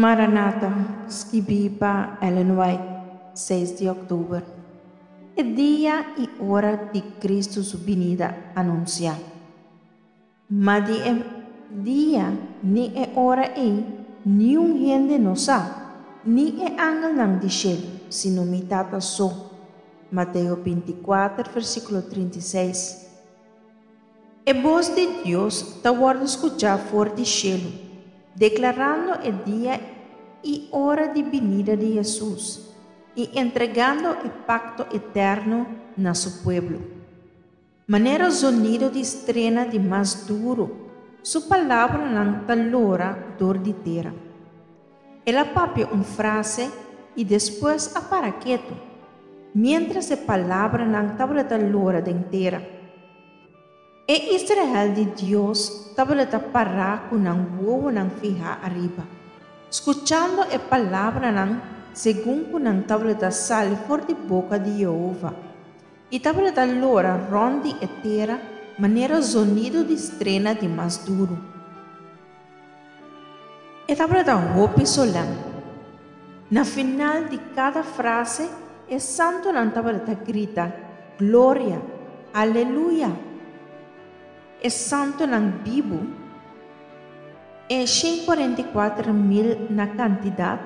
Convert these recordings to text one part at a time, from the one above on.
Maranata, skibí pa Ellen White, seis di òktober. E dia i ora di Kristu su binida anunsiá. Ma di e dia ni e ora ei niun hende no sa, ni e angelnan di shelu, sino mi Tata so. Mateo bintikuater, versíkulo 36. E bos di Dios ta wòrdu skuchá for di shelu, deklarando e dia i ora di binida di Hesus i entregando e pakto eterno na Su pueblo. Manera zonido di strena di mas duru, Su palabranan ta lora dor di tera. El a papia un frase i despues a para ketu, miéntras e palabranan tabata lora den tera. E Israel di Dios tabata pará ku nan wowonan fihá ariba, skuchando e palabranan segun ku nan tabata sali for di boka di Yehova, i tabata lora rònt di e tera manera zonido di strena di mas duru. E tabata hopi solèm. Na final di kada frase e santunan tabata grita, Gloria! Aleluya! E santunan bibu, e 144.000 na kantidat,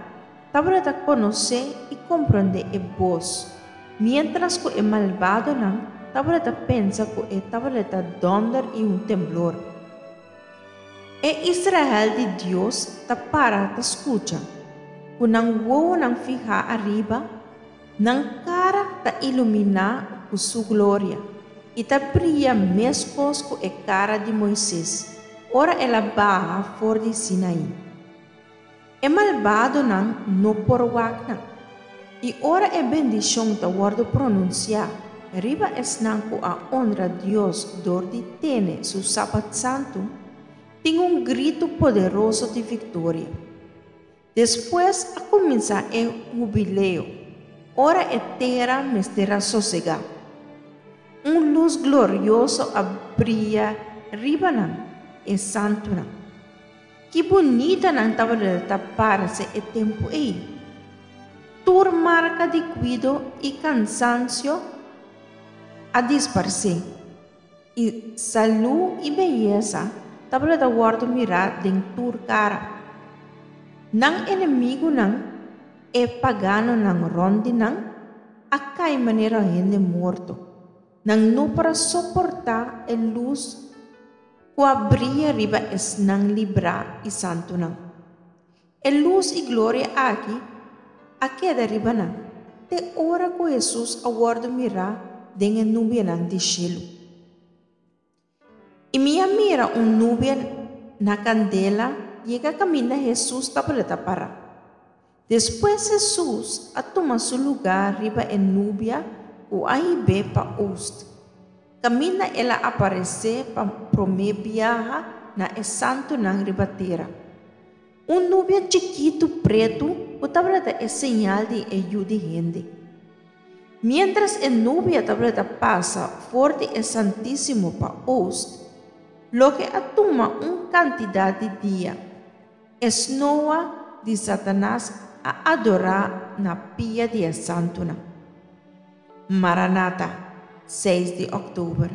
tabata konosé i komprondé e bos, miéntras ku e malbadonan tabata pensa ku e tabata dònder i un temblor. E Israel di Dios ta para ta skucha, ku nan wowonan fihá ariba, nan kara ta iluminá ku su gloria i ta bria meskos ku e kara di Moises ora el a baha for di Sinaí. E malbadonan no por wak nan. I ora e bendishon ta wòrdu pronunsiá riba esnan ku a onra Dios dor di tene su Sabat santu, tin un gritu poderoso di viktoria. Despues a kuminsá e hubileo, ora e tera mester a sosegá. Un lus glorioso a bria riba nan, e santunan. Ki bunita nan tabata ta parse e tempu ei! Tur marka di kuido i kansansio a disparsé, i salú i beyesa tabata wòrdu mirá den tur kara. Nan enemigunan, e paganonan rònt di nan, a kai manera hende morto. Nan no por a soportá e lus ku a bria riba esnan librá i santunan. E lus i gloria aki a keda riba nan te ora ku Hesus a wòrdu mirá den e nubianan di shelu. I mi a mira un nubia na kandela yega kaminda Hesus tabata pará. Despues Hesus a tuma su lugá riba e nubia ku a hib'é pa ost, kaminda el a aparesé pa promé biaha na e santunan riba tera. Un nubia chikitu pretu ku tabata e señal di e Yu di hende. Miéntras e nubia tabata pasa for di e Santísimo pa ost, loke a tuma un kantidat di dia, E snoa di Satanas a adorá na pia di e santunan. Maranata, seis di òktober.